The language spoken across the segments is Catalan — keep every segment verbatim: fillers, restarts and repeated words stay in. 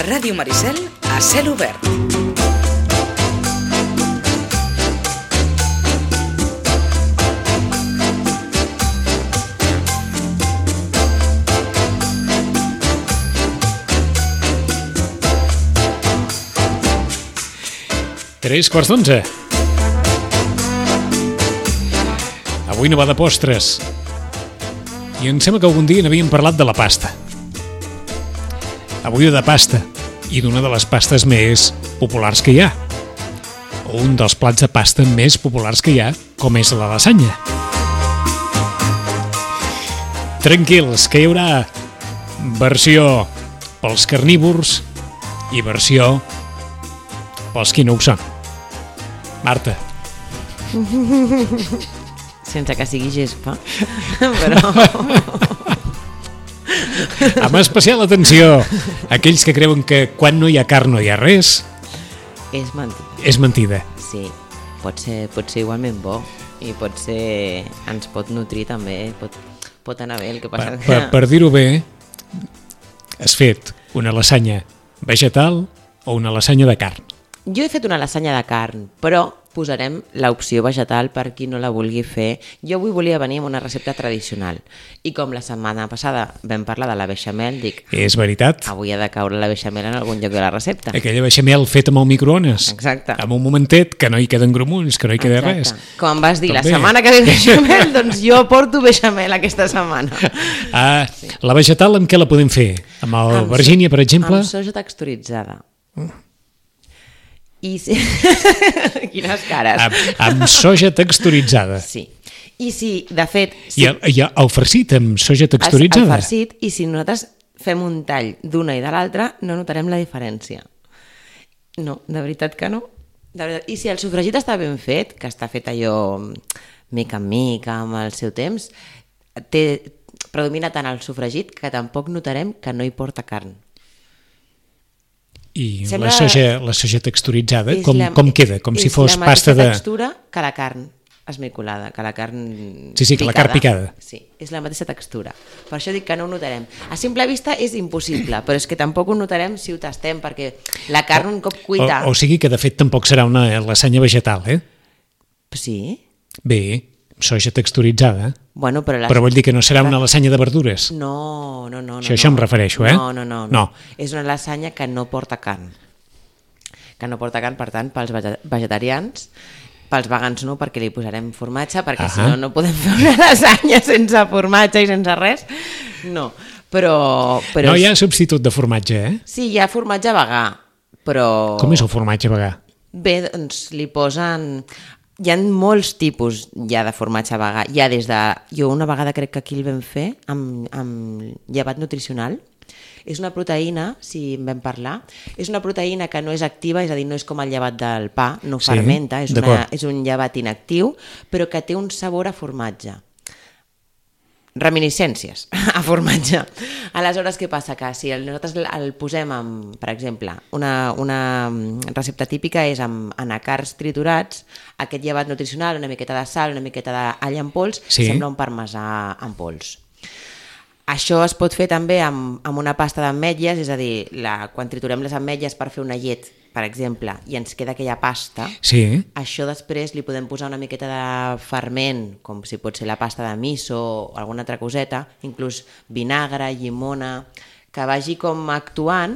Ràdio Maricel, a cel obert. Tres quarts d'onze. Avui no va de postres. I em sembla que algun dia n'havíem parlat de la pasta. Avui de pasta. I d'una de les pastes més populars que hi ha. O un dels plats de pasta més populars que hi ha, com és la lasanya. Tranquils, que hi haurà versió pels carnívors i versió pels qui no ho són. Marta. Sense que sigui gespa, però... Amb especial atenció, aquells que creuen que quan no hi ha carn no hi ha res... És mentida. És mentida. Sí, pot ser, pot ser igualment bo i pot ser... ens pot nutrir també, pot, pot anar bé. El que passa Per, per, per dir-ho bé, has fet una lasanya vegetal o una lasanya de carn? Jo he fet una lasanya de carn, però posarem l'opció vegetal per qui no la vulgui fer. Jo avui volia venir amb una recepta tradicional i com la setmana passada vam parlar de la beixamel, dic... És veritat. Avui ha de caure la beixamel en algun lloc de la recepta. Aquella beixamel feta amb el microones. Exacte. En un momentet que no hi queden grumuls, que no hi queda Exacte. res. Com em vas dir, També. la setmana que ve beixamel, doncs jo porto beixamel aquesta setmana. Ah, sí. La vegetal amb què la podem fer? Amb el Amb Virgínia, per exemple? Amb soja texturitzada. I si... Quines cares. Amb, amb soja texturitzada. Sí. I si, de fet... Si I, el, I el farcit amb soja texturitzada? El farcit, i si nosaltres fem un tall d'una i de l'altra, no notarem la diferència. No, de veritat que no. De veritat. I si el sofregit està ben fet, que està fet allò mica en mica, amb el seu temps, té, predomina tant el sofregit que tampoc notarem que no hi porta carn. I Sembla... la, soja, la soja texturitzada, És com, la... com queda? Com si fos És pasta de... la mateixa textura que la carn esmicolada, que la carn Sí, sí, que la carn picada. Sí, és la mateixa textura. Per això dic que no ho notarem. A simple vista és impossible, però és que tampoc ho notarem si ho tastem, perquè la carn un cop cuita... O, o sigui que de fet tampoc serà una lasanya vegetal, eh? Sí? Bé, soja texturitzada. Bueno, però, la... Però vull dir que no serà una lasanya de verdures. No, no, no. no Això, això no. em refereixo, eh? No, no, no, no, no. És una lasanya que no porta carn. Que no porta carn, per tant, pels vegetarians, pels vegans no, perquè li posarem formatge, perquè uh-huh. si no, no podem fer una lasanya sense formatge i sense res. No, però... però No hi ha substitut de formatge, eh? Sí, hi ha formatge vegà, però... Com és el formatge vegà? Bé, doncs li posen... Hi ha molts tipus ja de formatge vegà. Hi ha des de... Jo una vegada crec que aquí el vam fer amb, amb llevat nutricional. És una proteïna, si en vam parlar, és una proteïna que no és activa, és a dir, no és com el llevat del pa, no sí, fermenta, és, una, és un llevat inactiu, però que té un sabor a formatge. Reminiscències a formatge. Aleshores, què passa? Que si nosaltres el posem amb, per exemple, una, una recepta típica és amb anacards triturats, aquest llevat nutricional, una miqueta de sal, una miqueta d'all en pols, sí. sembla un parmesà en pols. Això es pot fer també amb, amb una pasta d'ametlles, és a dir, la, quan triturem les ametlles per fer una llet, per exemple, i ens queda aquella pasta, sí. Això després li podem posar una miqueta de ferment, com si pot ser la pasta de miso o alguna altra coseta, inclús vinagre, llimona, que vagi com actuant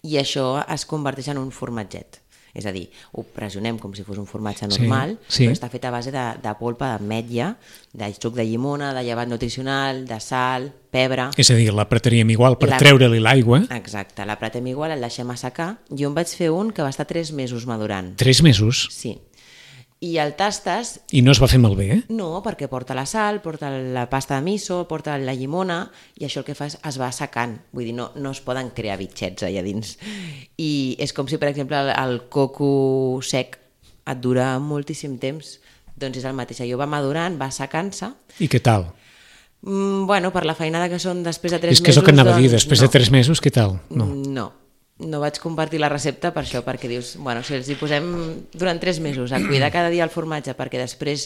i això es converteix en un formatget. És a dir, ho pressionem com si fos un formatge normal, sí, sí. però està fet a base de, de polpa d'ametlla, de suc de llimona, de llevat nutricional, de sal, pebre... És a dir, l'apretaríem igual per la... treure-li l'aigua. Exacte, l'apretem igual, el deixem assecar. Jo en vaig fer un que va estar tres mesos madurant. Tres mesos? Sí. I el tastes... I no es va fer malbé, eh? No, perquè porta la sal, porta la pasta de miso, porta la llimona, i això el que fa és es va assecant. Vull dir, no, no es poden crear bitxets allà dins. I és com si, per exemple, el, el coco sec et dura moltíssim temps. Doncs és el mateix. Allò va madurant, va assecant-se. I què tal? Mm, bueno, per la feinada que són després de tres mesos... És que és el que anava doncs, a dir, després no. de tres mesos, què tal? No. No. No vaig compartir la recepta per això, perquè dius, bueno, si els hi posem durant tres mesos a cuidar cada dia el formatge, perquè després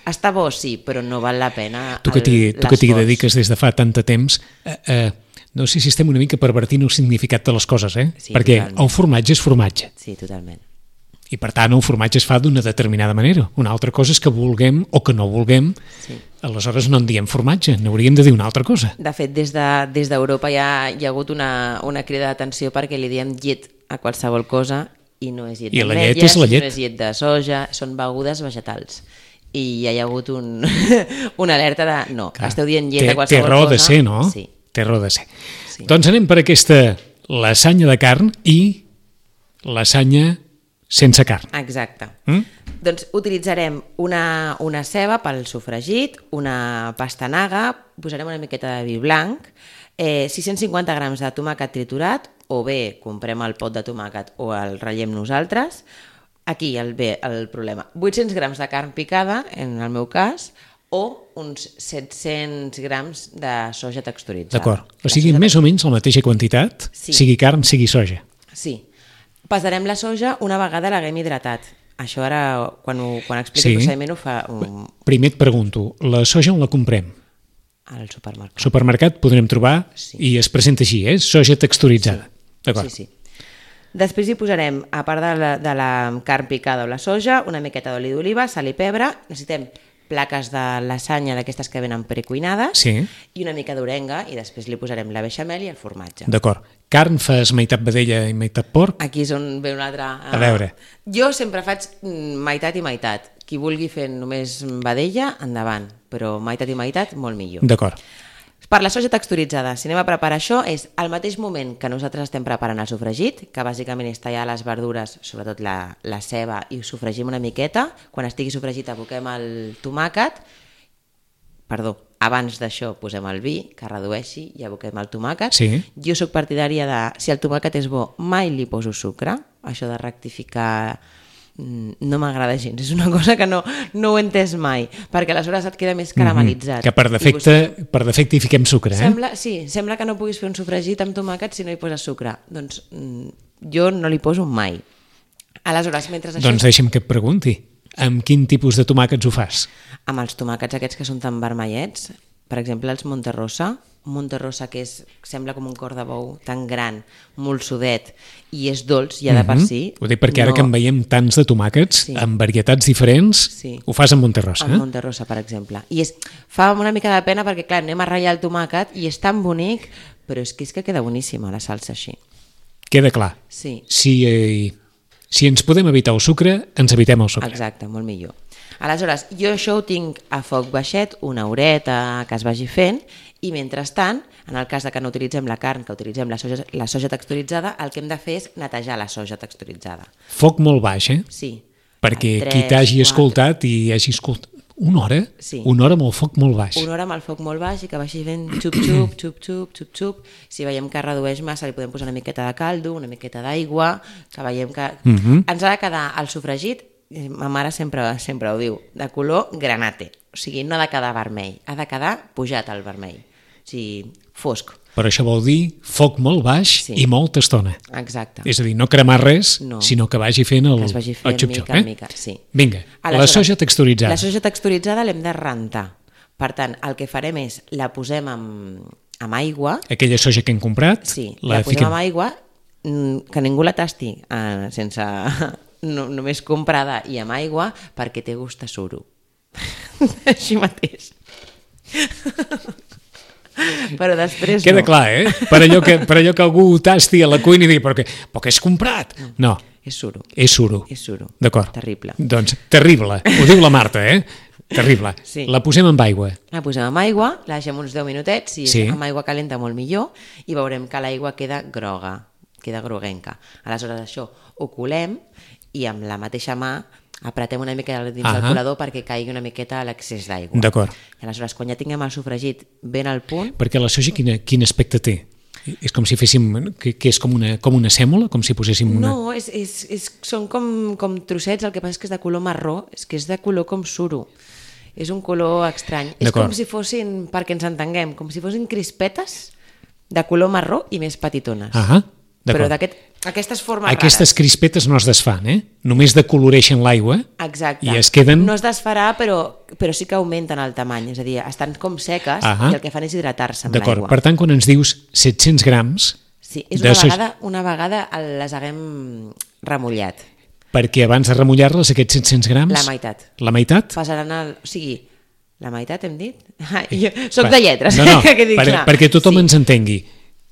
està bo, sí, però no val la pena tu que t'hi, tu que t'hi dediques des de fa tant de temps, eh, eh, no sé si estem una mica pervertint el significat de les coses, eh? Sí, Perquè totalment. el formatge és formatge. Sí, totalment. I per tant el formatge es fa d'una determinada manera. Una altra cosa és que vulguem o que no vulguem, Sí. aleshores no en diem formatge, n'hauríem de dir una altra cosa. De fet, des de- des d'Europa de, hi, ha, hi ha hagut una, una crida d'atenció perquè li diem llet a qualsevol cosa i no és llet I la d'ametlles, llet és la llet. no és llet de soja, són begudes vegetals. I ja hi ha hagut un, una alerta de no, Clar, esteu dient llet té, a qualsevol té raó cosa. de ser, no? Sí. Té raó de ser. Sí. Doncs anem per aquesta lasanya de carn i lasanya sense carn. Exacte. Mm? Doncs utilitzarem una, una ceba pel sofregit, una pastanaga, posarem una miqueta de vi blanc, eh, sis cents cinquanta grams de tomàquet triturat, o bé comprem el pot de tomàquet o el ratllem nosaltres. Aquí el, ve el problema. vuit-cents grams de carn picada, en el meu cas, o uns set-cents grams de soja texturitzada. D'acord. O La sigui, soja més o menys la mateixa quantitat, Sí. sigui carn, sigui soja. Sí. Pesarem la soja una vegada l'haguem hidratat. Això ara, quan, ho, quan expliqui Sí. el procediment, ho fa um, Primer et pregunto, la soja on la comprem? al supermercat. Al supermercat podrem trobar Sí. i es presenta així, eh? Soja texturitzada. D'acord. Sí, sí. Després hi posarem, a part de la, de la carn picada o la soja, una miqueta d'oli d'oliva, sal i pebre. Necessitem plaques de lasanya d'aquestes que venen precuinades Sí. i una mica d'orenga i després li posarem la beixamel i el formatge. D'acord. Carn fas meitat vedella i meitat porc? Aquí és on ve un altre... A veure. Jo sempre faig mm, meitat i meitat. Qui vulgui fer només vedella, endavant. Però meitat i meitat, molt millor. D'acord. Per la soja texturitzada, si anem a preparar això, és al mateix moment que nosaltres estem preparant el sofregit, que bàsicament és tallar les verdures, sobretot la, la ceba, i ho sofregim una miqueta. Quan estigui sofregit aboquem el tomàquet. Perdó, abans d'això posem el vi, que redueixi, i aboquem el tomàquet. Sí. Jo sóc partidària de, si el tomàquet és bo, mai li poso sucre. Això de rectificar mm, no m'agrada gens. És una cosa que no, no ho he entès mai, perquè aleshores et queda més caramelitzat. Que per I defecte, vostè- per defecte hi fiquem sucre, eh? Sembla, sí, sembla que no puguis fer un sofregit amb tomàquet si no hi poses sucre. Doncs mm, jo no li poso mai. Aleshores, mentre això... Doncs deixa'm que et pregunti, amb quin tipus de tomàquets ho fas? Amb els tomàquets aquests que són tan vermellets, per exemple els Monterrosa, un Monterrosa que és, sembla com un cor de bou, tan gran, molt sudet, i és dolç ja de per si. Ho dic perquè ara no- que en veiem tants de tomàquets, Sí. amb varietats diferents, Sí. ho fas amb Monterrosa, amb eh? Monterrosa, per exemple. I és, fa una mica de pena perquè, clar, anem a ratllar el tomàquet i és tan bonic, però és que és que queda boníssima la salsa així. Queda clar. Sí, Si, eh, si ens podem evitar el sucre, ens evitem el sucre. exacte, molt millor. Aleshores, jo això ho tinc a foc baixet, una horeta que es vagi fent, i mentrestant, en el cas de que no utilitzem la carn, que utilitzem la soja, la soja texturitzada, el que hem de fer és netejar la soja texturitzada. Foc molt baix, eh? Sí. Perquè A qui tres, t'hagi quatre, escoltat i hagi escoltat... Una hora? Sí. Una hora amb el foc molt baix. Una hora amb el foc molt baix i que vagi fent xup-xup, xup-xup, xup-xup. Si veiem que redueix massa, li podem posar una miqueta de caldo, una miqueta d'aigua, que veiem que... Mhm. Ens ha de quedar el sofregit, eh, ma mare sempre, sempre ho diu, de color granate. O sigui, no ha de quedar vermell, ha de quedar pujat al vermell. O sigui, fosc. Però això vol dir foc molt baix Sí. i molta estona. Exacte. És a dir, no cremar res, No. sinó que vagi fent el, Que es vagi el fent xup-xup, mica eh? en mica, sí. Vinga, la Aleshores, soja texturitzada. La soja texturitzada l'hem de rentar. Per tant, el que farem és, la posem amb, amb aigua, Aquella soja que hem comprat, sí, la, la posem fiquem... amb aigua, mm, que ningú la tasti eh, sense... No, només comprada i amb aigua, perquè té gust a suro. Així mateix. Però després Queda no. clar, eh? Per allò, que, per allò que algú ho tasti a la cuina i digui, però què, però què has comprat? No, És suro. és suro. És suro. D'acord. Terrible. Doncs terrible. Ho diu la Marta, eh? Terrible. Sí. La posem amb aigua. La posem amb aigua, la deixem uns deu minutets, si Sí. és amb aigua calenta molt millor, i veurem que l'aigua queda groga, queda groguenca. Aleshores això ho colem i amb la mateixa mà apretem una mica dins del Ahà. colador perquè caigui una miqueta l'excés d'aigua. D'acord. I aleshores, quan ja tinguem el sofregit ben al punt, Perquè la soja quina, quin aspecte té? És com si féssim, que, que és com una, com una sèmola, com si poséssim una... no, és, és, és, són com, com trossets, el que passa és que és de color marró, és que és de color com suro. És un color estrany. És D'acord. com si fossin, perquè ens entenguem, com si fossin crispetes de color marró i més petitones. Ahà, Però d'acord. d'aquest Aquestes formes Aquestes rares. crispetes no es desfan, eh? Només decoloreixen l'aigua Exacte. i es queden... No es desfarà, però, però sí que augmenten el tamany, és a dir, estan com seques Ahà. i el que fan és hidratar-se amb D'acord, l'aigua. per tant, quan ens dius set-cents grams... Sí, és de una soja- vegada, una vegada les haguem remullat. Perquè abans de remullar-les, aquests set-cents grams... La meitat. La meitat? Passaran al... O sigui, la meitat hem dit? Ah, jo soc Va. de lletres, No, no, que dic, per, clar. perquè tothom Sí. ens entengui.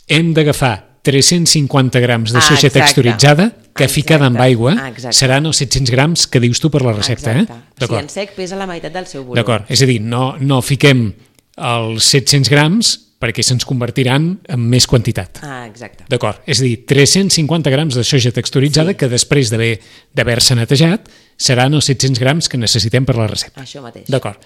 Hem d'agafar tres-cents cinquanta grams de Ah, soja exacte. texturitzada que Exacte. ficada amb aigua Exacte. seran els set-cents grams que dius tu per la recepta. Exacte. Eh? O sigui, en sec pesa la meitat del seu volum. D'acord, és a dir, no, no fiquem els set-cents grams perquè se'ns convertiran en més quantitat. Ah, exacte. D'acord, és a dir, tres-cents cinquanta grams de soja texturitzada Sí. que després d'haver d'haver-se netejat seran els set-cents grams que necessitem per la recepta. Això mateix. D'acord.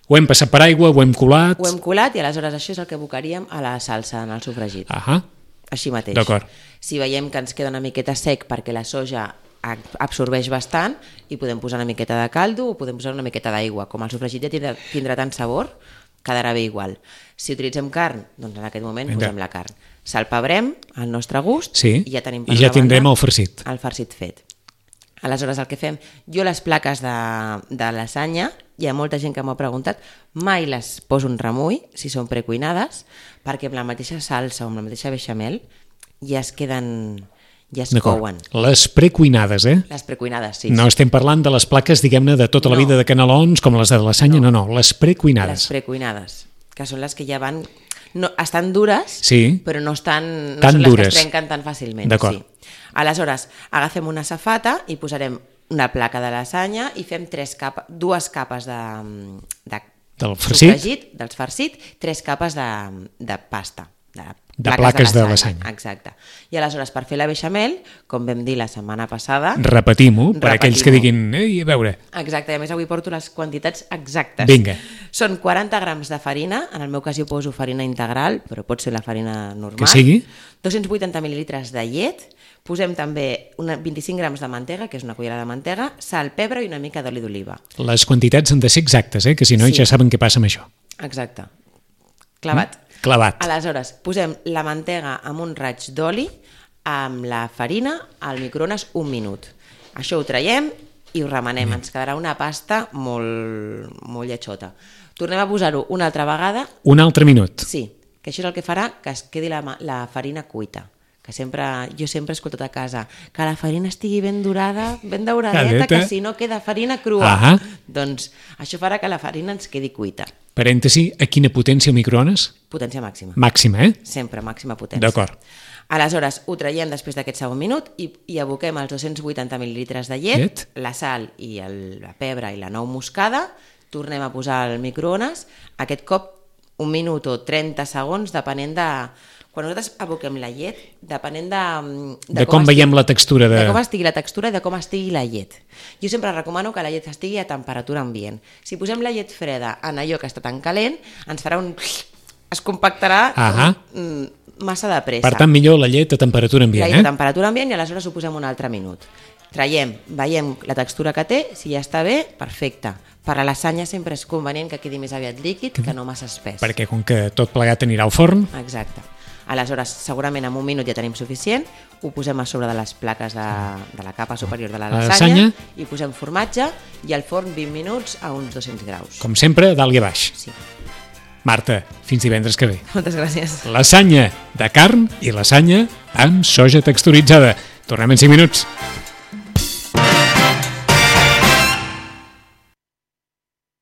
Ho hem passat per aigua, ho hem colat... Ho hem colat i aleshores això és el que abocaríem a la salsa, en el sofregit. Ahà, Així mateix. d'acord. Si veiem que ens queda una miqueta sec perquè la soja ab- absorbeix bastant, i podem posar una miqueta de caldo o podem posar una miqueta d'aigua. Com el sofregit ja tindrà, tindrà tant sabor, quedarà bé igual. Si utilitzem carn, doncs en aquest moment Vinga. posem la carn. Salpebrem al nostre gust Sí, i ja tenim i ja una tindrem banda el farcit. El farcit fet. Aleshores, el que fem... Jo les plaques de, de lasanya, hi ha molta gent que m'ho ha preguntat, mai les poso en remull, si són precuinades, perquè amb la mateixa salsa o amb la mateixa beixamel ja es queden... ja es D'acord. couen. Les precuinades, eh? Les precuinades, sí. No estem parlant de les plaques, diguem-ne, de tota la No. vida de canelons, com les de lasanya, no, no, les Les precuinades. precuinades, que són les que ja van... No, estan dures, Sí. però no estan... No Tan són dures. les que es trenquen tan fàcilment. D'acord. Sí. Aleshores, agafem una safata i posarem una placa de lasanya i fem tres capa, dues capes de, de Del farcit? sofregit, dels farcit, tres capes de, de pasta. De, De plaques de lasanya. Exacte. I aleshores, per fer la beixamel, com vam dir la setmana passada... Repetim-ho, per aquells que Repetim-ho. diguin, ei, a veure, Exacte, i a més avui porto les quantitats exactes. Vinga. Són quaranta grams de farina, en el meu cas jo poso farina integral, però pot ser la farina normal. Que sigui. dos-cents vuitanta mil·lilitres de llet, posem també una, vint-i-cinc grams de mantega, que és una cullera de mantega, sal, pebre i una mica d'oli d'oliva. les quantitats han de ser exactes, eh? Que si no Sí. ja saben què passa amb això. Exacte. Clavat. Clavat. Aleshores, posem la mantega amb un raig d'oli, amb la farina al microones un minut. Això ho traiem i ho remenem. Ens quedarà una pasta molt, molt lletjota. Tornem a posar-ho una altra vegada. Un altre minut. Sí, que això és el que farà que es quedi la, ma- la farina cuita. Que sempre, jo sempre he escoltat a casa que la farina estigui ben dorada, ben dauradeta, Cadeta. que si no queda farina crua. Ahà. Doncs això farà que la farina ens quedi cuita. Parèntesi, a quina potència el microones? Potència màxima. Màxima, eh? Sempre màxima potència. D'acord. Aleshores, ho traiem després d'aquest segon minut i, i aboquem els dos-cents vuitanta mil·lilitres de llet, Llet. la sal i el, la pebre i la nou moscada, tornem a posar al microones, aquest cop un minut o trenta segons, depenent de... Quan nosaltres aboquem la llet, depenent de... De com veiem la textura de... De com estigui la textura i de com estigui la llet. Jo sempre recomano que la llet estigui a temperatura ambient. Si posem la llet freda en allò que està tan calent, ens farà un... es compactarà Ahà. mm, massa de pressa. Per tant, millor la llet a temperatura La ambient, llet a eh? temperatura ambient i aleshores ho posem un altre minut. Traiem, veiem la textura que té, si ja està bé, perfecte. Per a la lasanya sempre és convenient que quedi més aviat líquid que no massa espès. Perquè com que tot plegat anirà al forn, Exacte. Aleshores, segurament en un minut ja tenim suficient, ho posem a sobre de les plaques de, de la capa superior de la La lasanya, lasanya. i posem formatge i al forn vint minuts a uns dos-cents graus. com sempre, dalt i a baix. Sí. Marta, fins divendres que ve. Moltes gràcies. Lasanya de carn i lasanya amb soja texturitzada. Tornem en cinc minuts.